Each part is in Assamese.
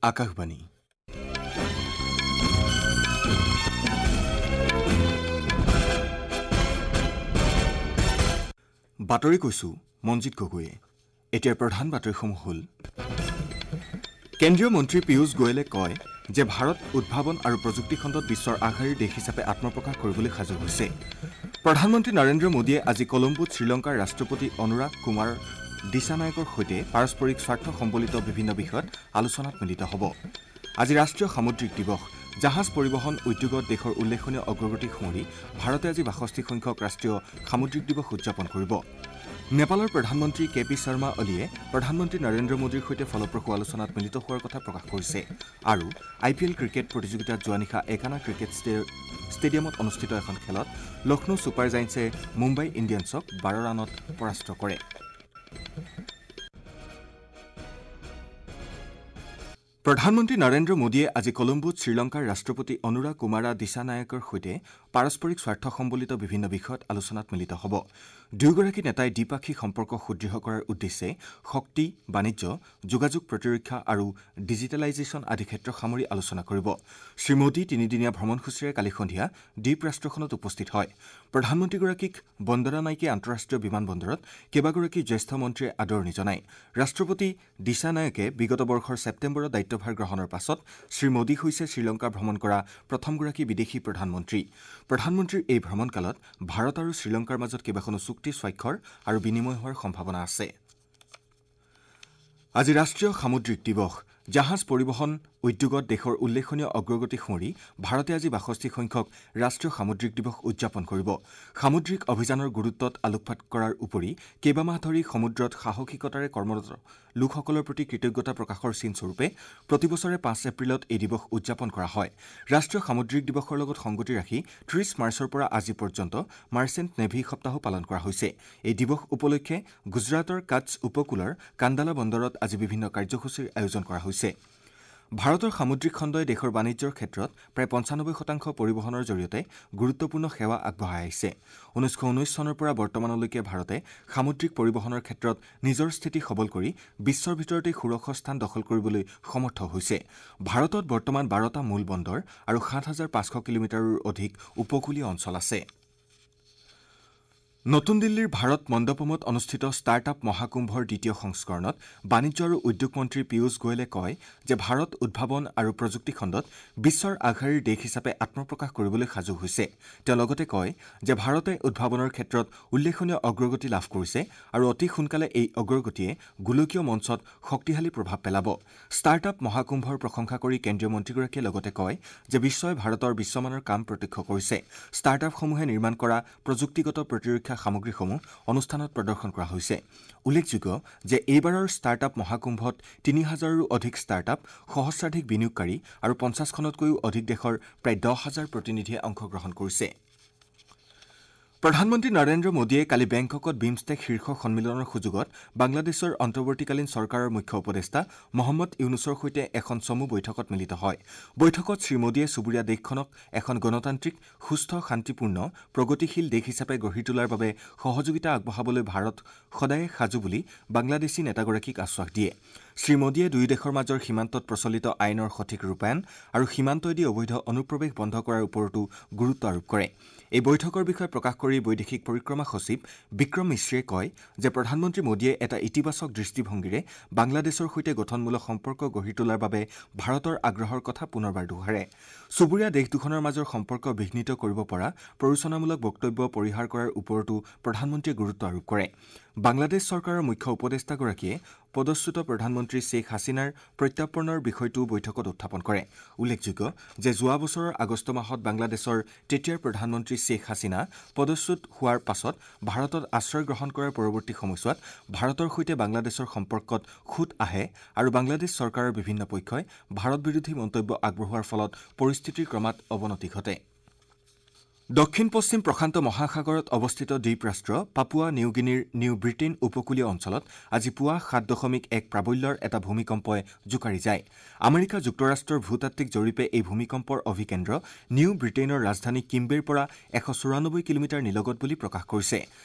আকাশবাণী। বাতৰি কৈছো মঞ্জিত গগৈয়ে। এতিয়াৰ প্ৰধান বাতৰিসমূহ হ'ল: কেন্দ্ৰীয় মন্ত্ৰী পীয়ুষ গোৱেলে কয় যে ভাৰত উদ্ভাৱন আৰু প্ৰযুক্তি খণ্ডত বিশ্বৰ আগশাৰীৰ দেশ হিচাপে আত্মপ্ৰকাশ কৰিবলৈ সাজু হৈছে। প্ৰধানমন্ত্ৰী নৰেন্দ্ৰ মোদীয়ে আজি কলম্বোত শ্ৰীলংকাৰ ৰাষ্ট্ৰপতি অনুৰাগ কুমাৰ দিশানায়কৰ সৈতে পাৰস্পৰিক স্বাৰ্থ সম্বলিত বিভিন্ন বিষয়ত আলোচনাত মিলিত হ'ব। আজি ৰাষ্ট্ৰীয় সামুদ্ৰিক দিৱস। জাহাজ পৰিবহণ উদ্যোগত দেশৰ উল্লেখনীয় অগ্ৰগতি সুঁৱৰি ভাৰতে আজি 62 সংখ্যক ৰাষ্ট্ৰীয় সামুদ্ৰিক দিৱস উদযাপন কৰিব। নেপালৰ প্ৰধানমন্ত্ৰী কে পি শৰ্মা অলিয়ে প্ৰধানমন্ত্ৰী নৰেন্দ্ৰ মোদীৰ সৈতে ফলপ্ৰসূ আলোচনাত মিলিত হোৱাৰ কথা প্ৰকাশ কৰিছে। আৰু আই পি এল ক্ৰিকেট প্ৰতিযোগিতাত যোৱা নিশা একানা ক্ৰিকেট ষ্টেডিয়ামত অনুষ্ঠিত এখন খেলত লক্ষ্ণৌ ছুপাৰ জায়েণ্টছে মুম্বাই ইণ্ডিয়ানছক 12 ৰানত পৰাস্ত কৰে। প্ৰধানমন্ত্ৰী নৰেন্দ্ৰ মোদীয়ে আজি কলম্বোত শ্ৰীলংকাৰ ৰাষ্ট্ৰপতি অনুৰা কুমাৰা দিশানায়কৰ সৈতে পাৰস্পৰিক স্বাৰ্থ সম্বলিত বিভিন্ন বিষয়ত আলোচনাত মিলিত হ'ব। দুয়োগৰাকী নেতাই দ্বিপাক্ষিক সম্পৰ্ক সুদৃঢ় কৰাৰ উদ্দেশ্যে শক্তি, বাণিজ্য, যোগাযোগ, প্ৰতিৰক্ষা আৰু ডিজিটেলাইজেশ্যন আদি ক্ষেত্ৰ সামৰি আলোচনা কৰিব। শ্ৰীমোদী তিনিদিনীয়া ভ্ৰমণসূচীৰে কালি সন্ধিয়া দ্বীপ ৰাষ্ট্ৰখনত উপস্থিত হয়। প্ৰধানমন্ত্ৰীগৰাকীক বন্দৰানাইকে আন্তঃৰাষ্ট্ৰীয় বিমানবন্দৰত কেইবাগৰাকী জ্যেষ্ঠ মন্ত্ৰীয়ে আদৰণি জনায়। ৰাষ্ট্ৰপতি দিশানায়কে বিগত বৰ্ষৰ ছেপ্টেম্বৰত দায়িত্বভাৰ গ্ৰহণৰ পাছত শ্ৰীমোদী হৈছে শ্ৰীলংকা ভ্ৰমণ কৰা প্ৰথমগৰাকী বিদেশী প্ৰধানমন্ত্ৰী। প্ৰধানমন্ত্ৰীৰ এই ভ্ৰমণকালত ভাৰত আৰু শ্ৰীলংকাৰ মাজত কেইবাখনো চুক্তি স্বাক্ষৰ আৰু বিনিময় হোৱাৰ সম্ভাৱনা আছে। আজি ৰাষ্ট্ৰীয় সামুদ্ৰিক দিৱস। জাহাজ পৰিবহণ উদ্যোগত দেশৰ উল্লেখনীয় অগ্ৰগতি সুঁৱৰি ভাৰতে আজি 62 সংখ্যক ৰাষ্ট্ৰীয় সামুদ্ৰিক দিৱস উদযাপন কৰিব। সামুদ্ৰিক অভিযানৰ গুৰুত্বত আলোকপাত কৰাৰ উপৰি কেইবামাহ ধৰি সমুদ্ৰত সাহসিকতাৰে কৰ্মৰত লোকসকলৰ প্ৰতি কৃতজ্ঞতা প্ৰকাশৰ চিনস্বৰূপে প্ৰতিবছৰে 5 এপ্ৰিলত এই দিৱস উদযাপন কৰা হয়। ৰাষ্ট্ৰীয় সামুদ্ৰিক দিৱসৰ লগত সংগতি ৰাখি 30 মাৰ্চৰ পৰা আজি পৰ্যন্ত মাৰ্চেণ্ট নেভি সপ্তাহো পালন কৰা হৈছে। এই দিৱস উপলক্ষে গুজৰাটৰ কাটছ উপকূলৰ কান্দালা বন্দৰত আজি বিভিন্ন কাৰ্যসূচীৰ আয়োজন কৰা হৈছে। ভাৰতৰ সামুদ্ৰিক খণ্ডই দেশৰ বাণিজ্যৰ ক্ষেত্ৰত প্ৰায় 95% পৰিবহণৰ জৰিয়তে গুৰুত্বপূৰ্ণ সেৱা আগবঢ়াই আহিছে। 1919 চনৰ পৰা বৰ্তমানলৈকে ভাৰতে সামুদ্ৰিক পৰিবহণৰ ক্ষেত্ৰত নিজৰ স্থিতি সবল কৰি বিশ্বৰ ভিতৰতে ষোড়শ স্থান দখল কৰিবলৈ সমৰ্থ হৈছে। ভাৰতত বৰ্তমান 12টা মূল বন্দৰ আৰু 7500 কিলোমিটাৰৰো অধিক উপকূলীয় অঞ্চল আছে। নতুন দিল্লীৰ ভাৰত মণ্ডপমত অনুষ্ঠিত ষ্টাৰ্টআপ মহাকুম্ভৰ দ্বিতীয় সংস্কৰণত বাণিজ্য আৰু উদ্যোগ মন্ত্ৰী পীয়ুষ গোৱেলে কয় যে ভাৰত উদ্ভাৱন আৰু প্ৰযুক্তি খণ্ডত বিশ্বৰ আগশাৰীৰ দেশ হিচাপে আত্মপ্ৰকাশ কৰিবলৈ সাজু হৈছে। তেওঁ লগতে কয় যে ভাৰতে উদ্ভাৱনৰ ক্ষেত্ৰত উল্লেখনীয় অগ্ৰগতি লাভ কৰিছে আৰু অতি সোনকালে এই অগ্ৰগতিয়ে গোলকীয় মঞ্চত শক্তিশালী প্ৰভাৱ পেলাব। ষ্টাৰ্টআপ মহাকুম্ভৰ প্ৰশংসা কৰি কেন্দ্ৰীয় মন্ত্ৰীগৰাকীয়ে লগতে কয় যে বিশ্বই ভাৰতৰ বিশ্বমানৰ কাম প্ৰত্যক্ষ কৰিছে। ষ্টাৰ্টআপসমূহে নিৰ্মাণ কৰা প্ৰযুক্তিগত প্ৰতিৰক্ষা সামগ্ৰীসমূহ অনুষ্ঠানত প্ৰদৰ্শন কৰা হৈছে। উল্লেখযোগ্য যে এইবাৰৰ ষ্টাৰ্টআপ মহাকুম্ভত 3000ৰো অধিক ষ্টাৰ্টআপ, সহস্ৰাধিক বিনিয়োগকাৰী আৰু 50খনতকৈও অধিক দেশৰ প্ৰায় 10,000 প্ৰতিনিধিয়ে অংশগ্ৰহণ কৰিছে। প্ৰধানমন্ত্ৰী নৰেন্দ্ৰ মোদীয়ে কালি বেংককত বিমষ্টেক শীৰ্ষ সন্মিলনৰ সুযোগত বাংলাদেশৰ অন্তৰ্বৰ্তীকালীন চৰকাৰৰ মুখ্য উপদেষ্টা মহম্মদ ইউনুছৰ সৈতে এখন চমু বৈঠকত মিলিত হয়। বৈঠকত শ্ৰীমোদীয়ে চুবুৰীয়া দেশখনক এখন গণতান্ত্ৰিক, সুস্থ, শান্তিপূৰ্ণ, প্ৰগতিশীল দেশ হিচাপে গঢ়ি তোলাৰ বাবে সহযোগিতা আগবঢ়াবলৈ ভাৰত সদায়ে সাজু বুলি বাংলাদেশী নেতাগৰাকীক আশ্বাস দিয়ে। শ্ৰীমোদীয়ে দুয়ো দেশৰ মাজৰ সীমান্তত প্ৰচলিত আইনৰ সঠিক ৰূপায়ণ আৰু সীমান্তইদি অবৈধ অনুপ্ৰৱেশ বন্ধ কৰাৰ ওপৰতো গুৰুত্ব আৰোপ কৰে। এই বৈঠকৰ বিষয়ে প্ৰকাশ কৰি বৈদেশিক পৰিক্ৰমা সচিব বিক্ৰম মিশ্ৰীয়ে কয় যে প্ৰধানমন্ত্ৰী মোদীয়ে এটা ইতিবাচক দৃষ্টিভংগীৰে বাংলাদেশৰ সৈতে গঠনমূলক সম্পৰ্ক গঢ়ি তোলাৰ বাবে ভাৰতৰ আগ্ৰহৰ কথা পুনৰবাৰ দোহাৰে। চুবুৰীয়া দেশ দুখনৰ মাজৰ সম্পৰ্ক বিঘ্নিত কৰিব পৰা প্ৰৰোচনামূলক বক্তব্য পৰিহাৰ কৰাৰ ওপৰতো প্ৰধানমন্ত্ৰীয়ে গুৰুত্ব আৰোপ কৰে। বাংলাদেশ চৰকাৰৰ মুখ্য উপদেষ্টাগৰাকীয়ে পদচ্যুত প্ৰধানমন্ত্ৰী শ্বেখ হাছিনাৰ প্ৰত্যাৰ্পণৰ বিষয়টোও বৈঠকত উত্থাপন কৰে। উল্লেখযোগ্য যে যোৱা বছৰৰ আগষ্ট মাহত বাংলাদেশৰ তেতিয়াৰ প্ৰধানমন্ত্ৰী শ্বেখ হাছিনা পদচ্যুত হোৱাৰ পাছত ভাৰতত আশ্ৰয় গ্ৰহণ কৰাৰ পৰৱৰ্তী সময়ছোৱাত ভাৰতৰ সৈতে বাংলাদেশৰ সম্পৰ্কত খুঁত আহে আৰু বাংলাদেশ চৰকাৰৰ বিভিন্ন পক্ষই ভাৰত বিৰোধী মন্তব্য আগবঢ়োৱাৰ ফলত পৰিস্থিতিৰ ক্ৰমাৎ অৱনতি ঘটে। দক্ষিণ পশ্চিম প্ৰশান্ত মহাসাগৰত অৱস্থিত দ্বীপৰাষ্ট্ৰ পাপুৱা নিউগিনিৰ নিউ ব্ৰিটেইন উপকূলীয় অঞ্চলত আজি পুৱা 7.1 প্ৰাবল্যৰ এটা ভূমিকম্পই জোকাৰি যায়। আমেৰিকা যুক্তৰাষ্ট্ৰৰ ভূতাত্ত্বিক জৰীপে এই ভূমিকম্পৰ অভিকেন্দ্ৰ নিউ ব্ৰিটেইনৰ ৰাজধানী কিম্বেৰ পৰা 194 কিলোমিটাৰ নিলগত বুলি প্ৰকাশ কৰিছে।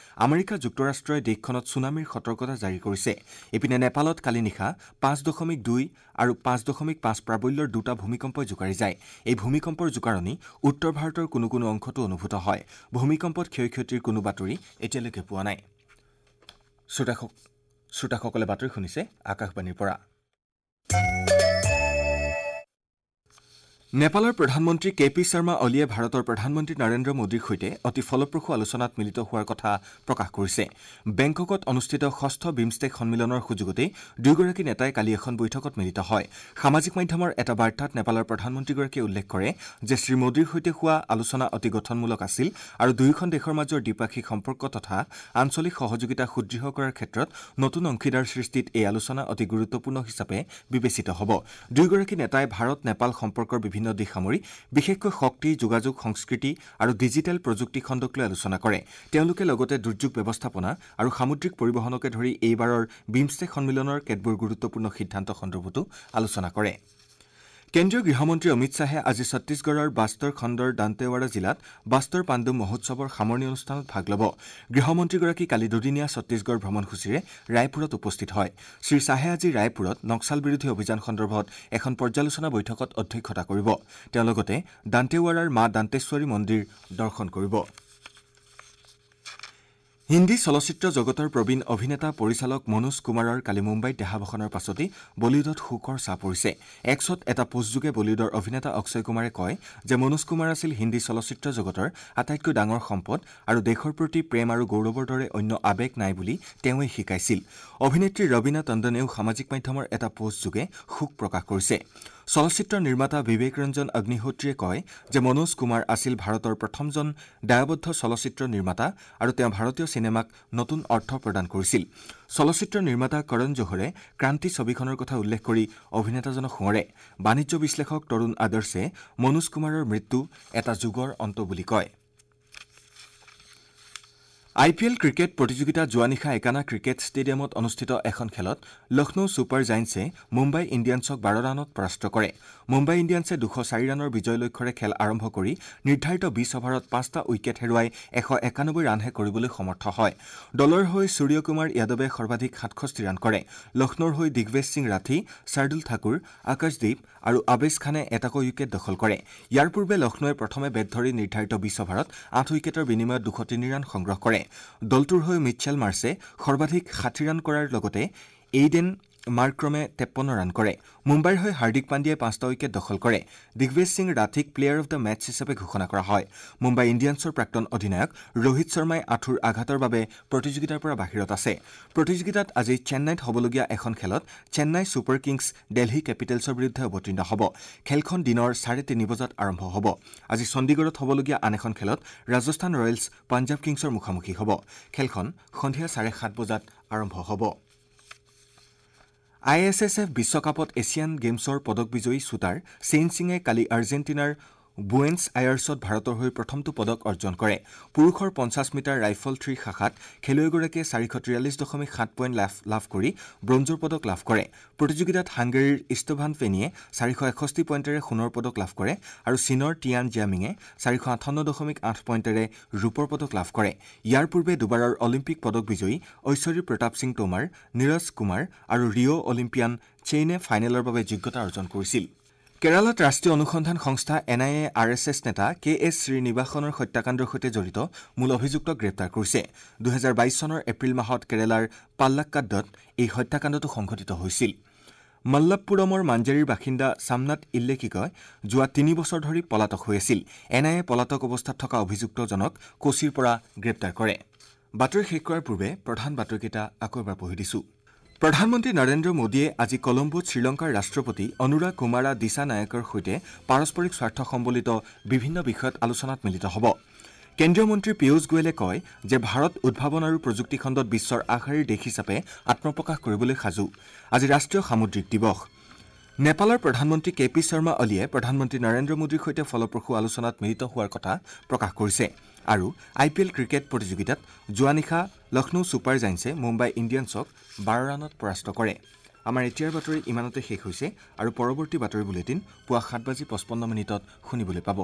আমেৰিকা যুক্তৰাষ্ট্ৰই দেশখনত ছুনামিৰ সতৰ্কতা জাৰি কৰিছে। ইপিনে নেপালত কালি নিশা 5.2 আৰু 5.5 প্ৰাবল্যৰ দুটা ভূমিকম্পই জোকাৰি যায়। এই ভূমিকম্পৰ জোকাৰণি উত্তৰ ভাৰতৰ কোনো কোনো অংশতো অনুভূত হয়। ভূমিকম্পত ক্ষয় ক্ষতিৰ কোনো বাতৰি এতিয়ালৈকে পোৱা নাই। শ্ৰোতাসকলে বাতৰি শুনিছে আকাশবাণীৰ পৰা। নেপালৰ প্ৰধানমন্ত্ৰী কে পি শৰ্মা অলিয়ে ভাৰতৰ প্ৰধানমন্ত্ৰী নৰেন্দ্ৰ মোদীৰ সৈতে অতি ফলপ্ৰসূ আলোচনাত মিলিত হোৱাৰ কথা প্ৰকাশ কৰিছে। বেংককত অনুষ্ঠিত ষষ্ঠ বিমষ্টেক সন্মিলনৰ সুযোগতেই দুয়োগৰাকী নেতাই কালি এখন বৈঠকত মিলিত হয়। সামাজিক মাধ্যমৰ এটা বাৰ্তাত নেপালৰ প্ৰধানমন্ত্ৰীগৰাকীয়ে উল্লেখ কৰে যে শ্ৰীমোদীৰ সৈতে হোৱা আলোচনা অতি গঠনমূলক আছিল আৰু দুয়োখন দেশৰ মাজৰ দ্বিপাক্ষিক সম্পৰ্ক তথা আঞ্চলিক সহযোগিতা সুদৃঢ় কৰাৰ ক্ষেত্ৰত নতুন অংশীদাৰ সৃষ্টিত এই আলোচনা অতি গুৰুত্বপূৰ্ণ হিচাপে বিবেচিত হ'ব। দুয়োগৰাকী নেতাই ভাৰত নেপাল সম্পৰ্কৰ বিভিন্ন দিশ সামৰি বিশেষকৈ শক্তি, যোগাযোগ, সংস্কৃতি আৰু ডিজিটেল প্ৰযুক্তি খণ্ডক লৈ আলোচনা কৰে। তেওঁলোকে লগতে দুৰ্যোগ ব্যৱস্থাপনা আৰু সামুদ্ৰিক পৰিবহণকে ধৰি এইবাৰৰ বিমষ্টেক সন্মিলনৰ কেতবোৰ গুৰুত্বপূৰ্ণ সিদ্ধান্ত সন্দৰ্ভতো আলোচনা কৰে। কেন্দ্ৰীয় গৃহমন্ত্ৰী অমিত শ্বাহে আজি ছত্তীশগড়ৰ বাস্তৰ খণ্ডৰ দান্তেৱাৰা জিলাত বাস্তৰ পাণ্ডু মহোৎসৱৰ সামৰণি অনুষ্ঠানত ভাগ ল'ব। গৃহমন্ত্ৰীগৰাকী কালি দুদিনীয়া ছত্তীশগড় ভ্ৰমণসূচীৰে ৰায়পুৰত উপস্থিত হয়। শ্ৰী শ্বাহে আজি ৰায়পুৰত নক্সাল বিৰোধী অভিযান সন্দৰ্ভত এখন পৰ্যালোচনা বৈঠকত অধ্যক্ষতা কৰিব। তেওঁ লগতে দান্তেৱাৰাৰ মা দান্তেশ্বৰী মন্দিৰ দৰ্শন কৰিব। হিন্দী চলচ্চিত্ৰ জগতৰ প্ৰবীণ অভিনেতা পৰিচালক মনোজ কুমাৰৰ কালি মুম্বাইত দেহাৱসানৰ পাছতেই বলিউডত শোকৰ ছাঁ পৰিছে। এক্সত এটা পোষ্টযোগে বলিউডৰ অভিনেতা অক্ষয় কুমাৰে কয় যে মনোজ কুমাৰ আছিল হিন্দী চলচ্চিত্ৰ জগতৰ আটাইতকৈ ডাঙৰ সম্পদ আৰু দেশৰ প্ৰতি প্ৰেম আৰু গৌৰৱৰ দৰে অন্য আৱেগ নাই বুলি তেওঁৱেই শিকাইছিল। অভিনেত্ৰী ৰবীনা টণ্ডনেও সামাজিক মাধ্যমৰ এটা পোষ্টযোগে শোক প্ৰকাশ কৰিছে। চলচ্চিত্ৰ নিৰ্মাতা বিবেক ৰঞ্জন অগ্নিহোত্ৰীয়ে কয় যে মনোজ কুমাৰ আছিল ভাৰতৰ প্ৰথমজন দায়বদ্ধ চলচ্চিত্ৰ নিৰ্মাতা আৰু তেওঁ ভাৰতীয় চিনেমাক নতুন অৰ্থ প্ৰদান কৰিছিল। চলচ্চিত্ৰ নিৰ্মাতা কৰণ জোহৰে ক্ৰান্তি ছবিখনৰ কথা উল্লেখ কৰি অভিনেতাজনক সোঁৱৰে। বাণিজ্য বিশ্লেষক তৰুণ আদৰ্শে মনোজ কুমাৰৰ মৃত্যু এটা যুগৰ অন্ত বুলি কয়। আই পি এল ক্ৰিকেট প্ৰতিযোগিতা যোৱা নিশা একানা ক্ৰিকেট ষ্টেডিয়ামত অনুষ্ঠিত এখন খেলত লক্ষ্ণৌ ছুপাৰ জায়েণ্টছে মুম্বাই ইণ্ডিয়ানছক 12 ৰানত পৰাস্ত কৰে। মুম্বাই ইণ্ডিয়ানছে 204 ৰানৰ বিজয় লক্ষ্যৰে খেল আৰম্ভ কৰি নিৰ্ধাৰিত 20 অভাৰত 5টা উইকেট হেৰুৱাই 191 ৰানহে কৰিবলৈ সমৰ্থ হয়। দলৰ হৈ সূৰ্যকুমাৰ যাদৱে সৰ্বাধিক 67 ৰান কৰে। লক্ষ্ণৌৰ হৈ দিগ্বেশ সিং ৰাঠী, শাৰ্দুল ঠাকুৰ, আকাশদীপ আৰু আবেশ খানে এটাকৈ উইকেট দখল কৰে। ইয়াৰ পূৰ্বে লক্ষ্ণৌৱে প্ৰথমে বেট ধৰি নিৰ্ধাৰিত 20 অভাৰত 8 উইকেটৰ বিনিময়ত 203 ৰান সংগ্ৰহ কৰে। দলটোৰ হৈ মিটছেল মাৰ্ছে সৰ্বাধিক 60 ৰান কৰাৰ লগতে এইডেন মাৰ্ক্ৰমে 53 ৰান কৰে। মুম্বাইৰ হৈ হাৰ্দিক পাণ্ডিয়াই 5টা উইকেট দখল কৰে। দিগ্বেশ সিং ৰাঠীক প্লেয়াৰ অৱ the match হিচাপে ঘোষণা কৰা হয়। মুম্বাই ইণ্ডিয়ানছৰ প্ৰাক্তন অধিনায়ক ৰোহিত শৰ্মাই আঁঠুৰ আঘাতৰ বাবে প্ৰতিযোগিতাৰ পৰা বাহিৰত আছে। প্ৰতিযোগিতাত আজি চেন্নাইত হ'বলগীয়া এখন খেলত চেন্নাই ছুপাৰ কিংছ দেলহি কেপিটেলছৰ বিৰুদ্ধে অৱতীৰ্ণ হ'ব। খেলখন দিনৰ 3:30 বজাত আৰম্ভ হ'ব। আজি চণ্ডীগড়ত হ'বলগীয়া আন এখন খেলত ৰাজস্থান ৰয়েলছ পাঞ্জাৱ কিংছৰ মুখামুখি হ'ব। খেলখন সন্ধিয়া 7:30 বজাত আৰম্ভ হ'ব। I S S F বিশ্বকাপত এছিয়ান গেমছৰ পদক বিজয়ী শ্বুটাৰ চেইন সিঙে কালি আৰ্জেণ্টিনাৰ বুয়েন্স আয়াৰ্ছত ভাৰতৰ হৈ প্ৰথমটো পদক অৰ্জন কৰে। পুৰুষৰ 50 মিটাৰ ৰাইফল থ্ৰী শাখাত খেলুৱৈগৰাকীয়ে 443.7 পইণ্ট লাভ কৰি ব্ৰঞ্জৰ পদক লাভ কৰে। প্ৰতিযোগিতাত হাংগেৰীৰ ইষ্টভান ফেনিয়ে 461 পইণ্টেৰে সোণৰ পদক লাভ কৰে আৰু চীনৰ টিয়ান জিয়ামিঙে 458.8 পইণ্টেৰে ৰূপৰ পদক লাভ কৰে। ইয়াৰ পূৰ্বে দুবাৰৰ অলিম্পিক পদক বিজয়ী ঐশ্বৰী প্ৰতাপ সিং টোমাৰ, নীৰজ কুমাৰ আৰু ৰিঅ' অলিম্পিয়ান চেইনে ফাইনেলৰ বাবে যোগ্যতা অৰ্জন কৰিছিল। কেৰালাত ৰাষ্ট্ৰীয় অনুসন্ধান সংস্থা N I A R S S নেতা কে এছ শ্ৰীনিবাসনৰ হত্যাকাণ্ডৰ সৈতে জড়িত মূল অভিযুক্তক গ্ৰেপ্তাৰ কৰিছে। 2022 চনৰ এপ্ৰিল মাহত কেৰালাৰ পাল্লাক্কাডত এই হত্যাকাণ্ডটো সংঘটিত হৈছিল। মল্লপুৰমৰ মাঞ্জেৰীৰ বাসিন্দা চামনাথ ইল্লেকিকই যোৱা 3 বছৰ ধৰি পলাতক হৈ আছিল। এন I A পলাতক অৱস্থাত থকা অভিযুক্তজনক কোচিৰ পৰা গ্ৰেপ্তাৰ কৰে। বাতৰি শেষ কৰাৰ পূৰ্বে প্ৰধান বাতৰিকেইটা আকৌ এবাৰ পঢ়ি দিছোঁ। প্ৰধানমন্ত্ৰী নৰেন্দ্ৰ মোদীয়ে আজি কলম্বোত শ্ৰীলংকাৰ ৰাষ্ট্ৰপতি অনুৰা কুমাৰা দিশানায়কৰ সৈতে পাৰস্পৰিক স্বাৰ্থ সম্বলিত বিভিন্ন বিষয়ত আলোচনাত মিলিত হ'ব। কেন্দ্ৰীয় মন্ত্ৰী পীয়ুষ গোৱেলে কয় যে ভাৰত উদ্ভাৱন আৰু প্ৰযুক্তি খণ্ডত বিশ্বৰ আগশাৰীৰ দেশ হিচাপে আত্মপ্ৰকাশ কৰিবলৈ সাজু। আজি ৰাষ্ট্ৰীয় সামুদ্ৰিক দিৱস। নেপালৰ প্ৰধানমন্ত্ৰী কে পি শৰ্মা অলিয়ে প্ৰধানমন্ত্ৰী নৰেন্দ্ৰ মোদীৰ সৈতে ফলপ্ৰসূ আলোচনাত মিলিত হোৱাৰ কথা প্ৰকাশ কৰিছে। আৰু আই পি এল ক্ৰিকেট প্ৰতিযোগিতাত যোৱা নিশা লক্ষ্ণৌ ছুপাৰ জায়েণ্টছে মুম্বাই ইণ্ডিয়ানছক 12 ৰানত পৰাস্ত কৰে। আমাৰ এতিয়াৰ বাতৰি ইমানতে শেষ হৈছে আৰু পৰৱৰ্তী বাতৰি বুলেটিন পুৱা 7:55 শুনিবলৈ পাব।